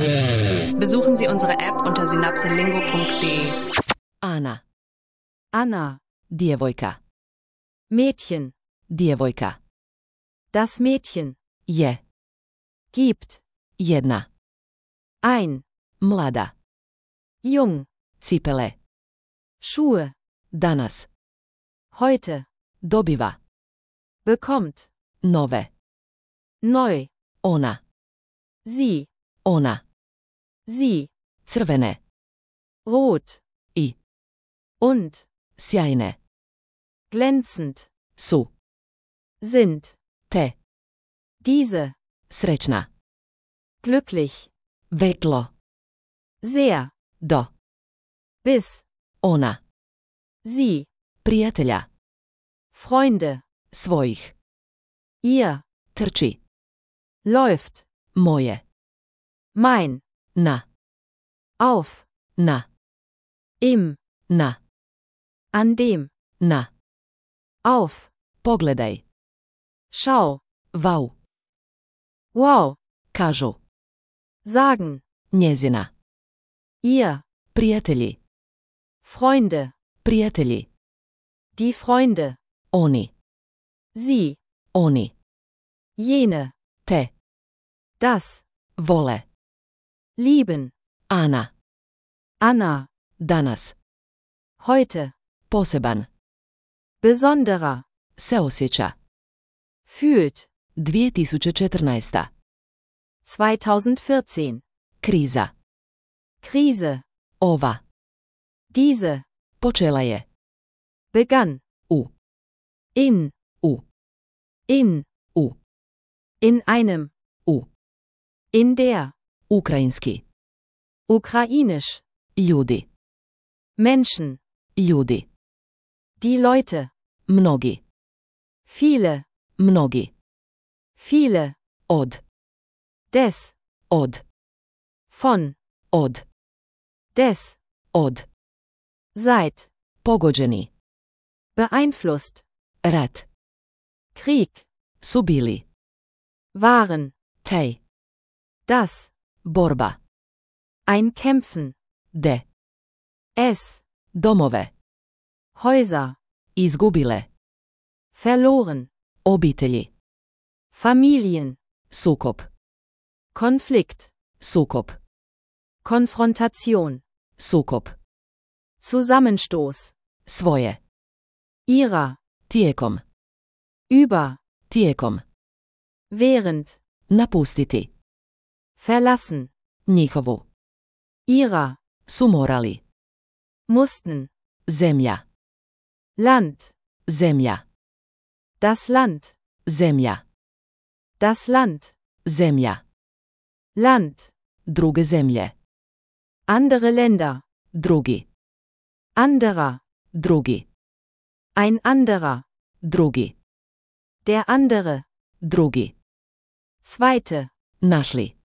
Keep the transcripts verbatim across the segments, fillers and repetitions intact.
Besuchen Sie unsere App unter synapselingo punkt de. Ana. Anna. Djevojka. Mädchen. Djevojka. Das Mädchen. Je. Gibt. Jedna. Ein. Mlada. Jung. Cipele. Schuhe. Danas. Heute. Dobiva. Bekommt. Nove. Neu. Ona. Sie. Ona. Sie. Crvene. Rot. I. Und. Sjajne. Glänzend. Su. Sind. Te. Diese. Srećna. Glücklich. Vetlo. Sehr. Do. Bis. Ona. Sie. Prijatelja. Freunde. Svojih. Ihr. Trči. Läuft. Moje. Mein. Na. Auf. Na. Im. Na. An dem. Na. Auf. Pogledaj. Schau. Vau. Wow. Kažu. Sagen. Njezina. Ihr. Prijatelji. Freunde. Prijatelji. Die Freunde. Oni. Sie. Oni. Jene. Te. Das. Vole. Lieben. Ana. Anna. Danas. Heute. Poseban. Besonderer. Se osjeća. Fühlt. dvije tisuće četrnaesta. zweitausendvierzehn. Kriza. Krise. Ova. Diese. Počela je. Begann. U. In. U. In. U. In einem. U. In der. Ukrajinski. Ukrainisch. Ljudi. Menschen. Ljudi. Die Leute. Mnogi. Viele. Mnogi. Viele. Od. Des. Od. Von. Od. Des. Od. Seit. Pogođeni. Beeinflusst. Rat. Krieg. Su bili. Waren. Tej. Das. Borba. Ein Kämpfen. De. Es. Domove. Häuser. Izgubile. Verloren. Obitelji. Familien. Sukob. Konflikt. Sukob. Konfrontation. Sukob. Zusammenstoß. Svoje. Ihrer. Tijekom. Über. Tijekom. Während. Napustiti. Verlassen. Njihovu. Ihrer. Su morali. Mussten. Zemlja. Land. Zemlja. Das Land. Zemlja. Das Land. Zemlja. Land. Druge zemlje. Andere Länder. Drugi. Anderer. Drugi. Ein anderer. Drugi. Der andere. Drugi. Zweite. Našli.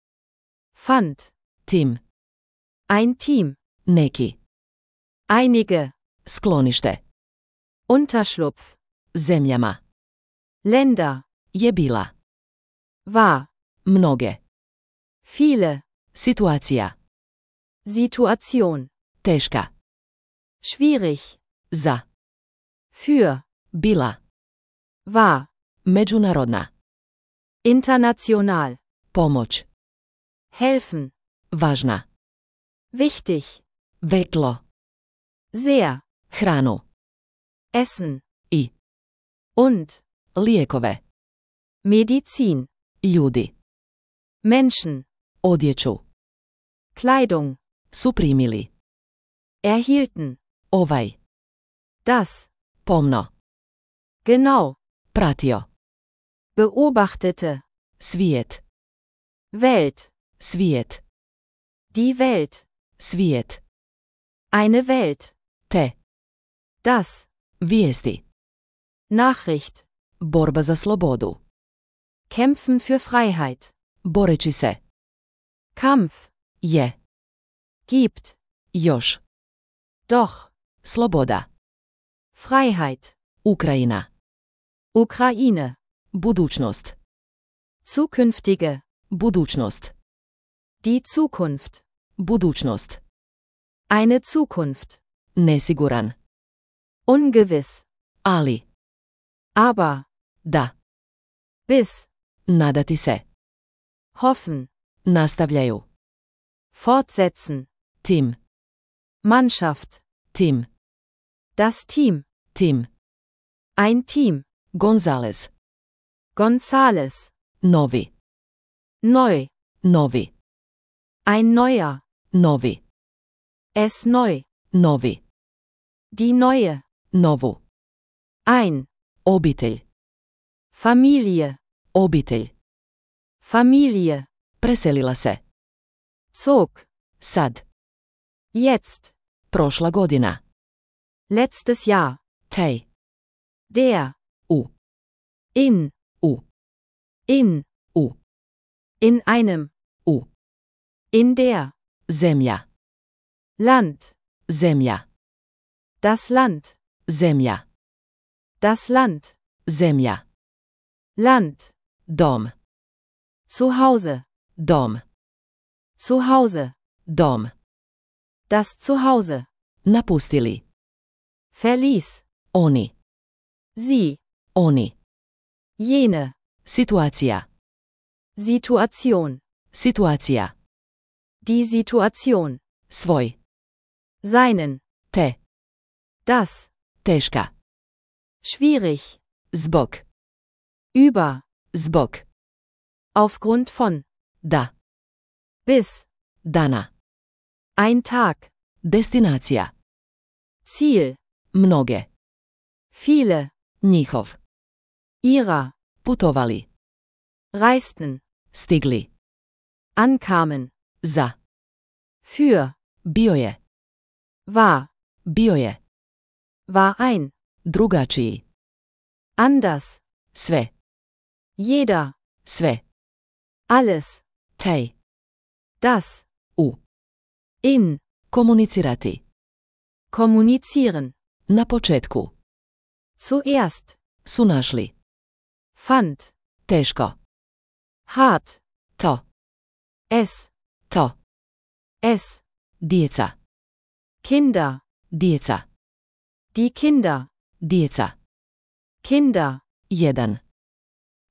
Fand. Tim. Ein Team. Neki. Einige. Sklonište. Unterschlupf. Zemljama. Länder. Je bila. War. Mnoge. Viele. Situacija. Situation. Teška. Schwierig. Za. Für. Bila. War. Međunarodna. International. Pomoć. Helfen. Važna. Wichtig. Vetlo. Sehr. Hranu. Essen. I. Und. Lijekove. Medizin. Ljudi. Menschen. Odjeću. Kleidung. Su primili. Erhielten. Ovaj. Das. Pomno. Genau. Pratio. Beobachtete. Svijet. Welt. Svijet. Die Welt. Svijet. Eine Welt. Te. Das. Vijesti. Nachricht. Borba za slobodu. Kämpfen für Freiheit. Boreći se. Kampf. Je. Gibt. Još. Doch. Sloboda. Freiheit. Ukrajina. Ukraine. Budućnost. Zukünftige. Budućnost. Die Zukunft. Budućnost. Eine Zukunft. Nesiguran. Ungewiss. Ali. Aber. Da. Bis. Nadati se. Hoffen. Nastavljaju. Fortsetzen. Tim. Mannschaft. Tim. Das Team. Tim. Ein Team. Gonzales. Gonzales. Novi. Neu. Novi. Ein neuer. Novi. Es neu. Novi. Die neue. Novu. Ein. Obitelj. Familie. Obitelj. Familie. Preselila se. Zog. Sad. Jetzt. Prošla godina. Letztes Jahr. Tej. Der. U. In. U. In. U. In einem. U. In der. Zemlja. Land. Zemlja. Das Land. Zemlja. Das Land. Zemlja. Land. Dom. Zu Hause. Dom. Zu Hause. Dom. Das Zuhause. Napustili. Verließ. Oni. Sie. Oni. Jene. Situacija. Situation. Situacija. Die Situation. Svoj. Seinen. Te. Das. Teška. Schwierig. Zbog. Über. Zbog. Aufgrund von. Da. Bis. Dana. Ein Tag. Destinacija. Ziel. Mnoge. Viele. Njihov. Ihrer. Putovali. Reisten. Stigli. Ankamen. Za. Für. Bio je. War. Bio je. War ein. Drugačiji. Anders. Sve. Jeder. Sve. Alles. Tej. Das. U. In. Komunicirati. Kommunizieren. Na početku. Zuerst. Su našli. Fand. Teško. Hart. To. Es. To. Es. Djeca. Kinder. Djeca. Die Kinder. Djeca. Kinder. Jedan.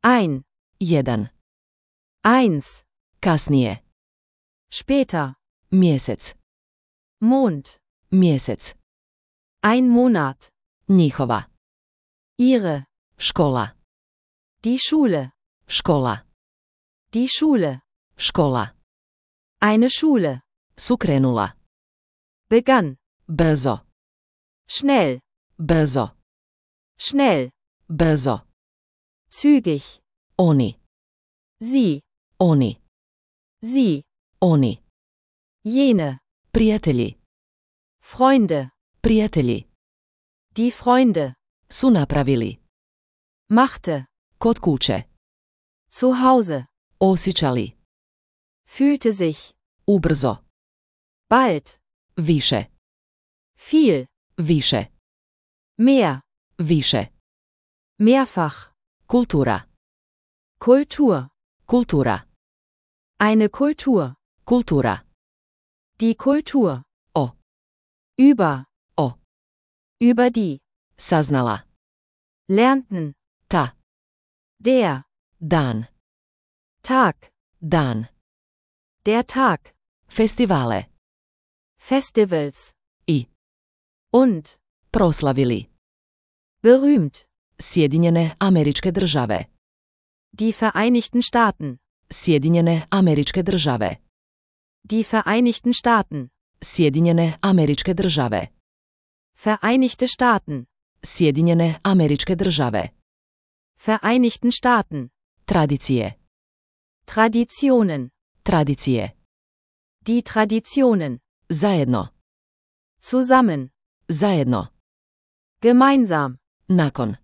Ein. Jedan. Eins. Kasnije. Später. Mjesec. Mond. Mjesec. Ein Monat. Njihova. Ihre. Škola. Die Schule. Škola. Die Schule. Škola. Eine Schule. Sukrenula. Begann. Brzo. Schnell. Brzo. Schnell. Brzo. Zügig. Oni. Sie. Oni. Sie. Oni. Jene. Prijatelji. Freunde. Prijatelji. Die Freunde. Su napravili. Machte. Kod kuće. Zu Hause. Osjećali. Fühlte sich. Ubrzo. Bald. Više. Viel. Više. Mehr. Više. Mehrfach. Kultura. Kultur. Kultura. Eine Kultur. Kultura. Die Kultur. O. Über. O. Über die. Saznala. Lernten. Ta. Der. Dan. Tag. Dan. Der Tag. Festivale. Festivals. I. Und. Proslavili. Berühmt. Sjedinjene Američke Države. Die Vereinigten Staaten. Sjedinjene Američke Države. Die Vereinigten Staaten. Sjedinjene Američke Države. Vereinigte Staaten. Sjedinjene Američke Države. Vereinigten Staaten. Tradicije. Traditionen. Tradicije. Die Traditionen. Zajedno. Zusammen. Zajedno. Gemeinsam. Nakon.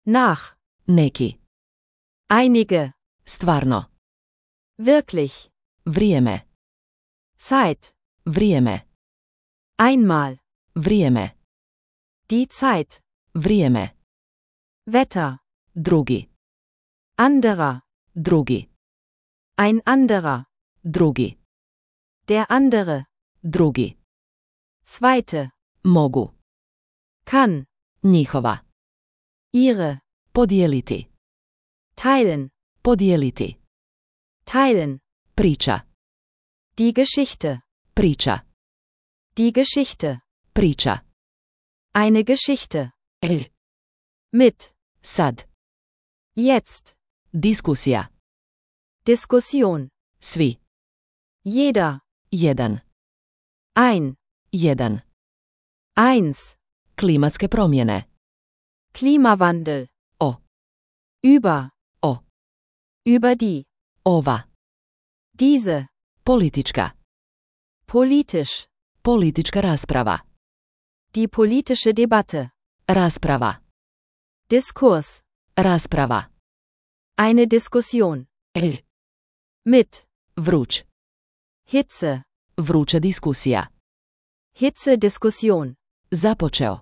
Nach. Neki. Einige. Stvarno. Wirklich. Vrijeme. Zeit. Vrijeme. Einmal. Vrijeme. Die Zeit. Vrijeme. Wetter. Drugi. Anderer. Drugi. Ein anderer. Drugi. Der andere. Drugi. Zweite. Mogu. Kann. Njihova. Ihre. Podijeliti. Teilen. Podijeliti. Teilen. Priča. Die Geschichte. Priča. Die Geschichte. Priča. Eine Geschichte. El. Mit. Sad. Jetzt. Diskusija. Diskussion. Svi. Jeder. Jedan. Ein. Jedan. Eins. Klimatske promjene. Klimawandel. O. Über. O. Über die. Ova. Diese. Politička. Politisch. Politička rasprava. Die politische Debatte. Rasprava. Diskurs. Rasprava. Eine Diskussion. El. Mit. Vruć. Hitze. Vruća diskusija. Hitze-Diskussion. Započeo.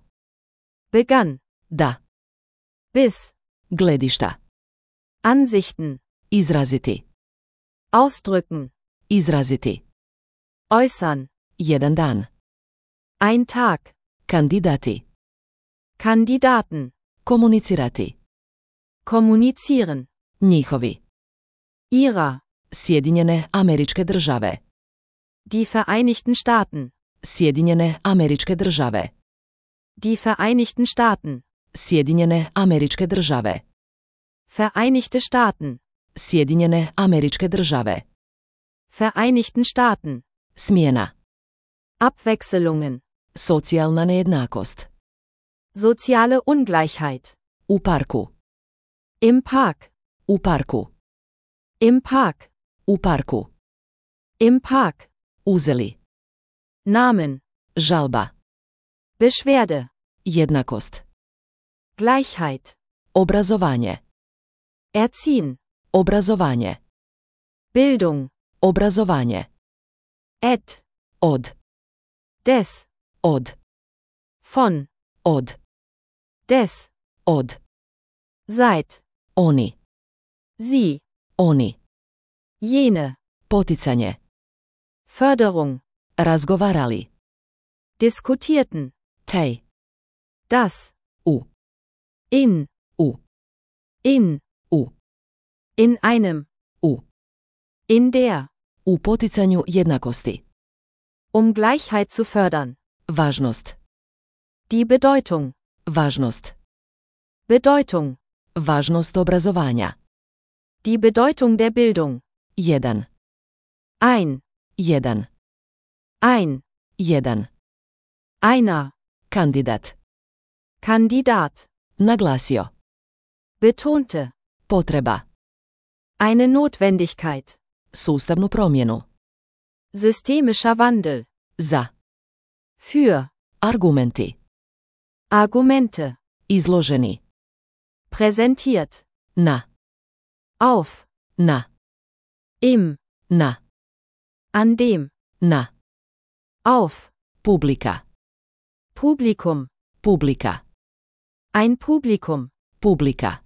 Begann. Da. Bis. Gledišta. Ansichten. Izraziti. Ausdrücken. Izraziti. Äußern. Jedan dan. Ein Tag. Kandidati. Kandidaten. Komunicirati. Kommunizieren. Njihovi. Ihrer. Sjedinjene Američke Države. Die Vereinigten Staaten. Sjedinjene Američke Države. Die Vereinigten Staaten. Sjedinjene Američke Države. Vereinigte Staaten. Sjedinjene Američke Države. Vereinigten Staaten. Smjena. Abwechselungen. Socijalna nejednakost. Soziale Ungleichheit. U parku. Im Park. U parku. Im Park. U parku. Im Park. Uzeli. Namen. Žalba. Beschwerde. Jednakost. Gleichheit. Obrazovanje. Erziehen. Obrazovanje. Bildung. Obrazovanje. Et. Od. Des. Od. Von. Od. Des. Od. Seit. Oni. Sie. Oni. Jene. Poticanje. Förderung. Razgovarali. Diskutierten. Tej. Das. U. In. U. In. U. In einem. U. In der. U poticanju jednakosti. Um Gleichheit zu fördern. Važnost. Die Bedeutung. Važnost. Bedeutung. Važnost obrazovanja. Die Bedeutung der Bildung. Jedan. Ein. Jedan. Ein. Jedan. Einer. Kandidat. Kandidat. Naglasio. Betonte. Potreba. Eine Notwendigkeit. Sustavnu promjenu. Systemischer Wandel. Za. Für. Argumenti. Argumente. Izloženi. Präsentiert. Na. Auf. Na. Im. Na. An dem. Na. Auf. Publika. Publikum. Publika. Ein Publikum. Publika.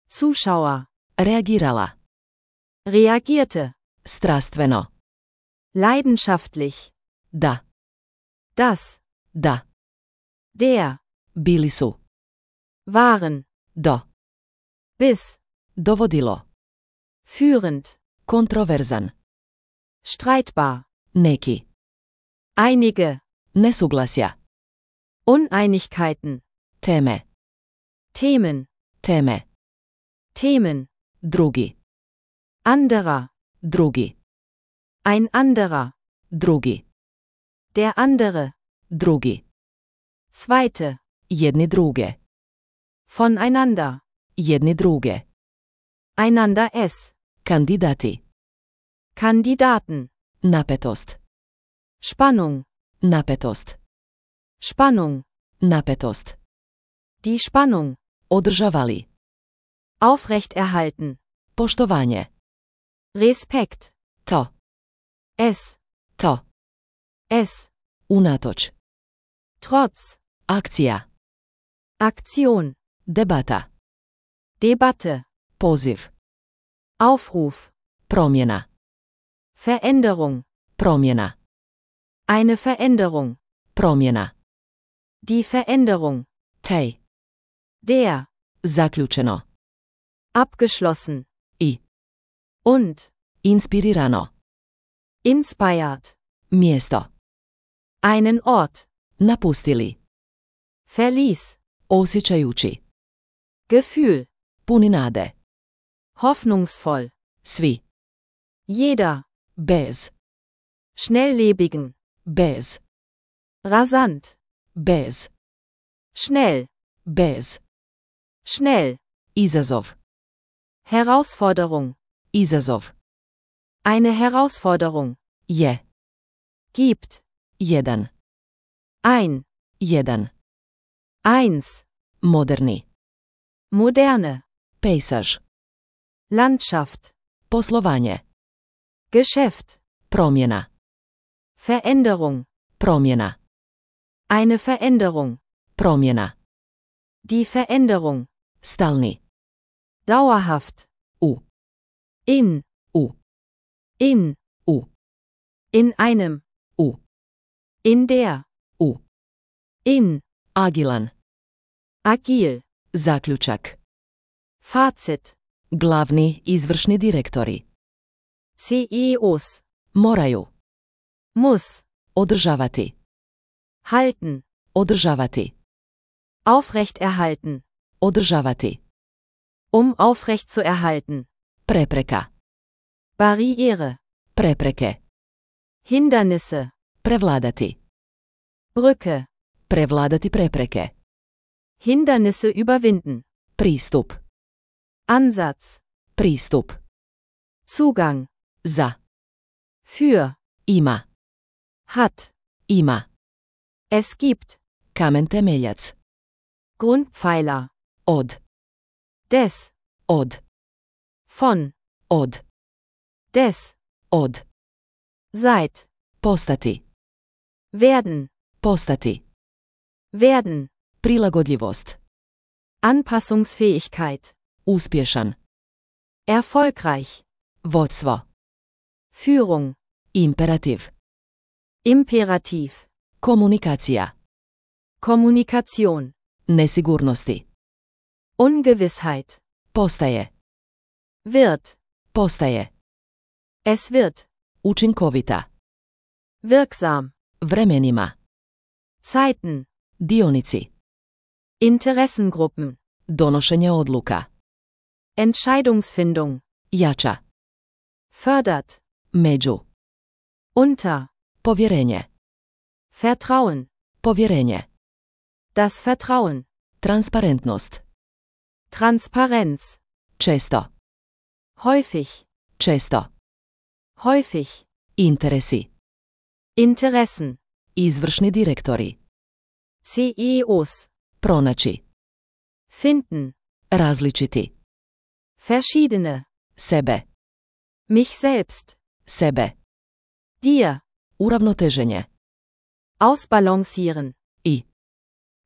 Zuschauer. Reagirala. Reagierte. Strastveno. Leidenschaftlich. Da. Das. Da. Der. Bili su. Waren. Do. Bis. Dovodilo. Führend. Kontroverzan. Streitbar. Neki. Einige. Nesuglasja. Uneinigkeiten. Teme. Themen. Teme. Themen. Drugi. Anderer. Drugi. Ein anderer. Drugi. Der andere. Drugi. Zweite. Jedni druge. Voneinander. Jedni druge. Einander es. Kandidati. Kandidaten. Napetost. Spannung. Napetost. Spannung. Napetost. Die Spannung. Održavali. Aufrechterhalten. Poštovanje. Respekt. To. Es. To. Es. Unatoč. Trotz. Akcija. Aktion. Debata. Debatte. Poziv. Aufruf. Promjena. Veränderung. Promjena. Eine Veränderung. Promjena. Die Veränderung. Tej. Der. Zaključeno. Abgeschlossen. I. Und. Inspirirano. Inspired. Mjesto. Einen Ort. Napustili. Verließ. Osjećajući. Gefühl. Puni nade. Hoffnungsvoll. Svi. Jeder. Bez. Schnelllebigen. Bez. Rasant. Bez. Schnell. Bez. Schnell. Izazov. Herausforderung. Izazov. Eine Herausforderung. Je. Gibt. Jedan. Ein. Jedan. Eins. Moderni. Moderne. Pejsaž. Landschaft. Poslovanje. Geschäft. Promjena. Veränderung. Promjena. Eine Veränderung. Promjena. Die Veränderung. Stalni. Dauerhaft. U. In. U. In. U. In einem. U. In der. U. In. Agilan. Agil. Zaključak. Fazit. Glavni izvršni direktori. C E Os. Moraju. Muss. Održavati. Halten. Održavati. Aufrechterhalten. Održavati. Um aufrecht zu erhalten. Prepreka. Barriere. Prepreke. Hindernisse. Prevladati. Brücke. Prevladati prepreke. Hindernisse überwinden. Pristup. Ansatz. Pristup. Zugang. Za. Für. Ima. Hat. Ima. Es gibt. Kamen temeljac. Grundpfeiler. Od. Des. Od. Von. Od. Des. Od. Seit. Postati. Werden. Postati. Werden. Prilagodljivost. Anpassungsfähigkeit. Uspješan. Erfolgreich. Vodstvo. Führung. Imperativ. Imperativ. Komunikacija. Kommunikation. Nesigurnosti. Ungewissheit. Postaje. Wird. Postaje. Es wird. Učinkovita. Wirksam. Vremenima. Zeiten. Dionici. Interessengruppen. Donošenje odluka. Entscheidungsfindung. Jača. Fördert. Među. Unter. Povjerenje. Vertrauen. Povjerenje. Das Vertrauen. Transparentnost. Transparenz. Često. Häufig. Često. Häufig. Interesi. Interessen. Izvršni direktori. C E Os. Pronaći. Finden. Različiti. Verschiedene. Sebe. Mich selbst. Sebe. Dir. Uravnoteženje. Ausbalancieren. I.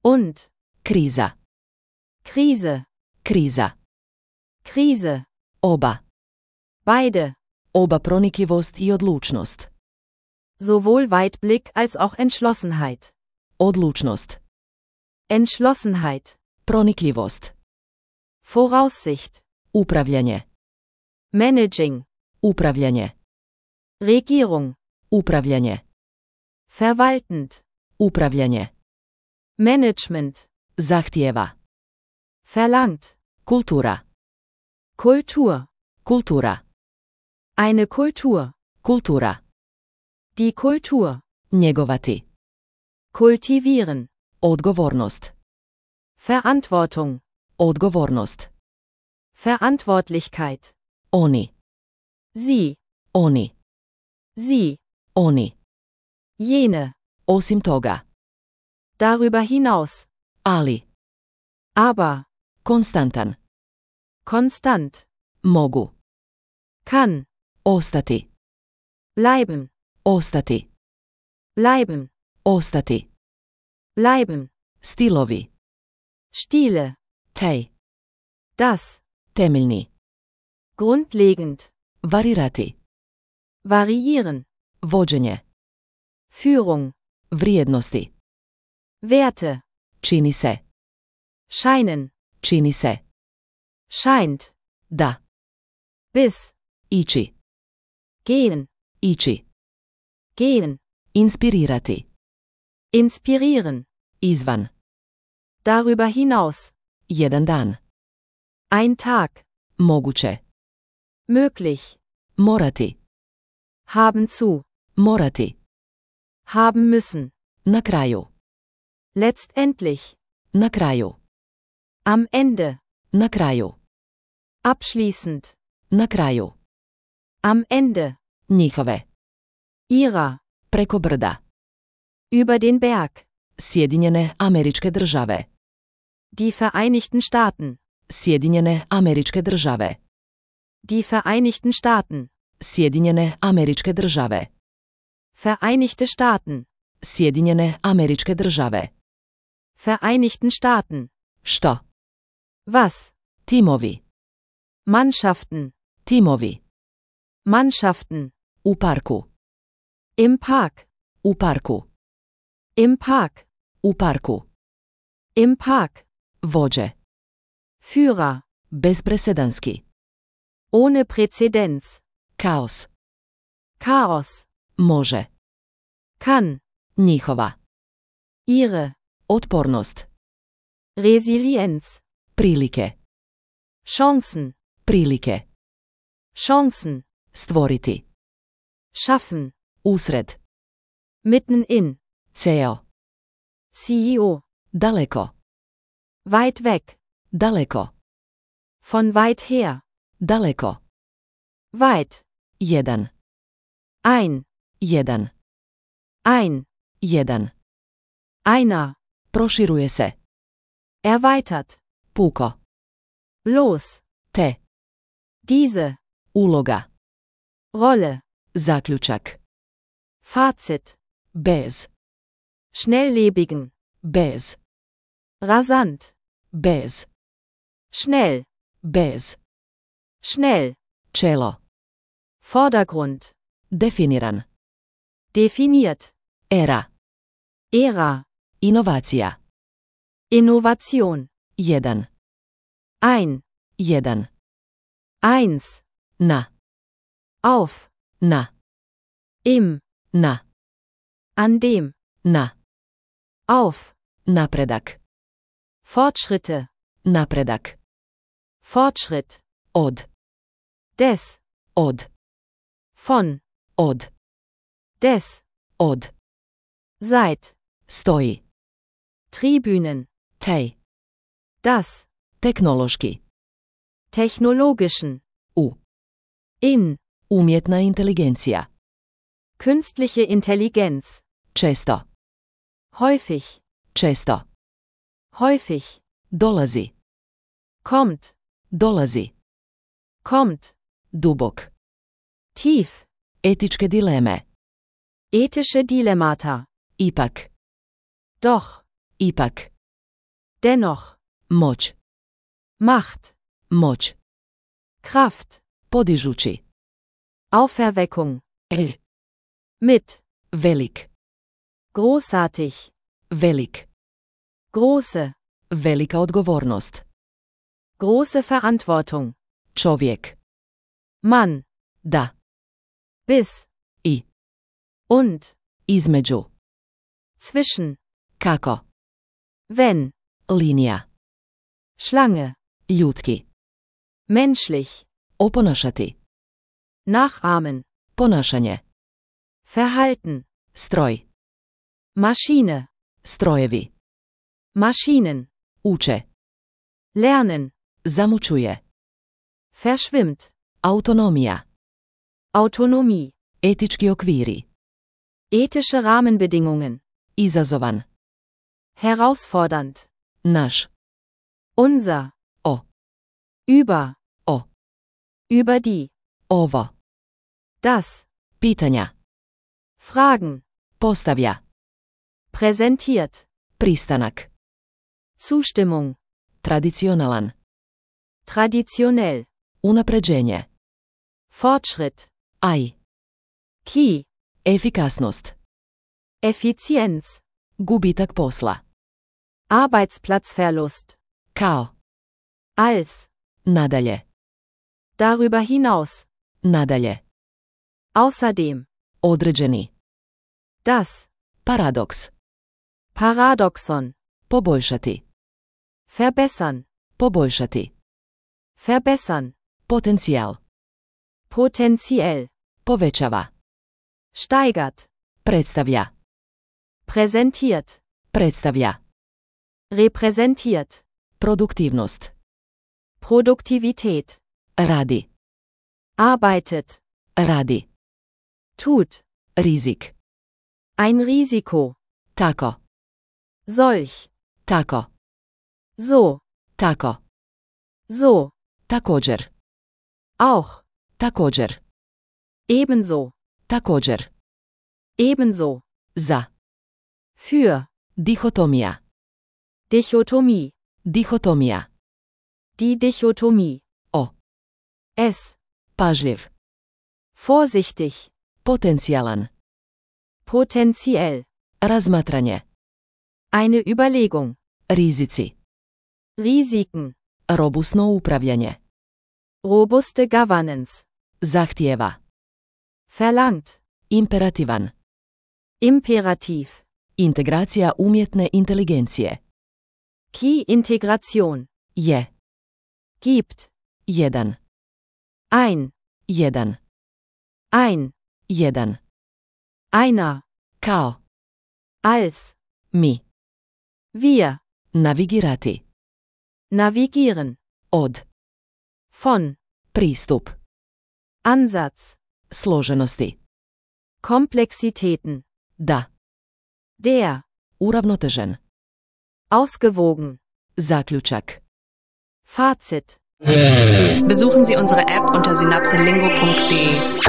Und. Kriza. Krise. Kriza. Krise. Oba. Beide. Oba pronikljivost i odlučnost. Sowohl Weitblick als auch Entschlossenheit. Odlučnost. Entschlossenheit. Pronikljivost. Voraussicht. Upravljanje. Managing. Upravljanje. Regierung. Upravljanje. Verwaltend. Upravljanje. Management. Zahtijeva. Verlangt. Kultura. Kultur. Kultura. Eine Kultur. Kultura. Die Kultur. Njegovati. Kultivieren. Odgovornost. Verantwortung. Odgovornost. Verantwortlichkeit. Oni. Sie. Oni. Sie. Oni. Jene. Osim toga. Darüber hinaus. Ali. Aber. Konstantan. Konstant. Mogu. Kann. Ostati. Bleiben. Ostati. Bleiben. Ostati. Bleiben. Stilovi. Stile. Tej. Das. Temeljni. Grundlegend. Varirati. variieren, vođenje, Führung, vrijednosti, Werte, čini se, scheinen, čini se, scheint, da, bis, ići, gehen, ići, gehen, inspirirati, inspirieren, izvan, darüber hinaus, jedan dan, ein Tag, moguće, möglich, morati, haben zu, morati, haben müssen, na kraju, letztendlich, na kraju, am Ende, na kraju, abschließend, na kraju, am Ende, njihove, ihrer, preko brda, über den Berg, Sjedinjene Američke Države, die Vereinigten Staaten, Sjedinjene Američke Države, die Vereinigten Staaten, Sjedinjene Američke Države, Vereinigte Staaten, Sjedinjene Američke Države, Vereinigten Staaten, što, was, timovi, Mannschaften, timovi, Mannschaften, u parku, im Park, u parku, im Park, u parku, im Park, vođe, Führer, bezpresedanski, ohne Präzedenz, kaos, Chaos, može, kann, njihova, ihre, otpornost, Resilienz, prilike, Chancen, prilike, Chancen, stvoriti, schaffen, usred, mitten in, ceo, C E O, daleko, weit weg, daleko, von weit her, daleko, weit, jedan, ein, jedan, ein, jedan, einer, proširuje se, erweitert, puko, los, te, diese, uloga, Rolle, zaključak, Fazit, bez, schnelllebigen, bez, rasant, bez, schnell, bez, schnell, čelo, Vordergrund, definiran, definiert, era, Ära, inovacija, Innovation, jedan, ein, jedan, eins, na, auf, na, im, na, an dem, na, auf, napredak, Fortschritte, napredak, Fortschritt, od, des, od, von, od, des, od, seit, stoji, Tribünen, tej, das, tehnološki, technologischen, u, in, umjetna inteligencija, künstliche Intelligenz, često, häufig, često, häufig, dolazi, kommt, dolazi, kommt, dubok, tief, etičke dileme, ethische Dilemmata, ipak, doch, ipak, dennoch, moć, Macht, moć, Kraft, podižući, Auferweckung, el, mit, velik, großartig, velik, große, velika odgovornost, große Verantwortung, čovjek, Mann, da, bis, i, und, između, zwischen, kako, wenn, linija, Schlange, ljudski, menschlich, oponašati, nachahmen, ponašanje, verhalten, stroj, Maschine, strojevi, Maschinen, uče, lernen, zamučuje, verschwimmt, autonomija, Autonomie, etički okviri, ethische Rahmenbedingungen, izazovan, herausfordernd, naš, unser, o, über, o, über die, ovo, das, pitanja, Fragen, postavlja, präsentiert, pristanak, Zustimmung, tradicionalan, traditionell, unapređenje, Fortschritt, aj, Key. Efikasnost. Effizienz. Gubitak posla. Arbeitsplatzverlust. Kao. Als. Nadalje. Darüber hinaus. Nadalje. Außerdem. Određeni. Das. Paradoks. Paradoxon. Poboljšati. Verbessern. Poboljšati. Verbessern. Potencijal. Potenziell. Povećava. Steigert. Predstavlja. Präsentiert. Predstavlja. Repräsentiert. Produktivnost. Produktivität. Radi. Arbeitet. Radi. Tut. Rizik. Ein Risiko. Tako. Solch. Tako. So. Tako. So. Također. Auch. Također. Ebenso. Također. Ebenso. Za. Für. Dihotomija. Dichotomie. Dihotomija. Die Dichotomie. O. Es. Pažljiv. Vorsichtig. Potencijalan. Potenziell. Razmatranje. Eine Überlegung. Rizici. Risiken. Robusno upravljanje. Robuste Governance. Zahtijeva. Verlangt. Imperativan. Imperativ. Integracija umjetne inteligencije. Key Integration. Je. Gibt. Jedan. Ein. Jedan. Ein. Jedan. Einer. Kao. Als. Mi. Wir. Navigirati. Navigieren. Od. Von. Pristup. Ansatz. Složenosti. Komplexitäten. Da. Der. Uravnotežen. Ausgewogen. Zaključak. Fazit. Besuchen Sie unsere App unter synapselingo punkt de.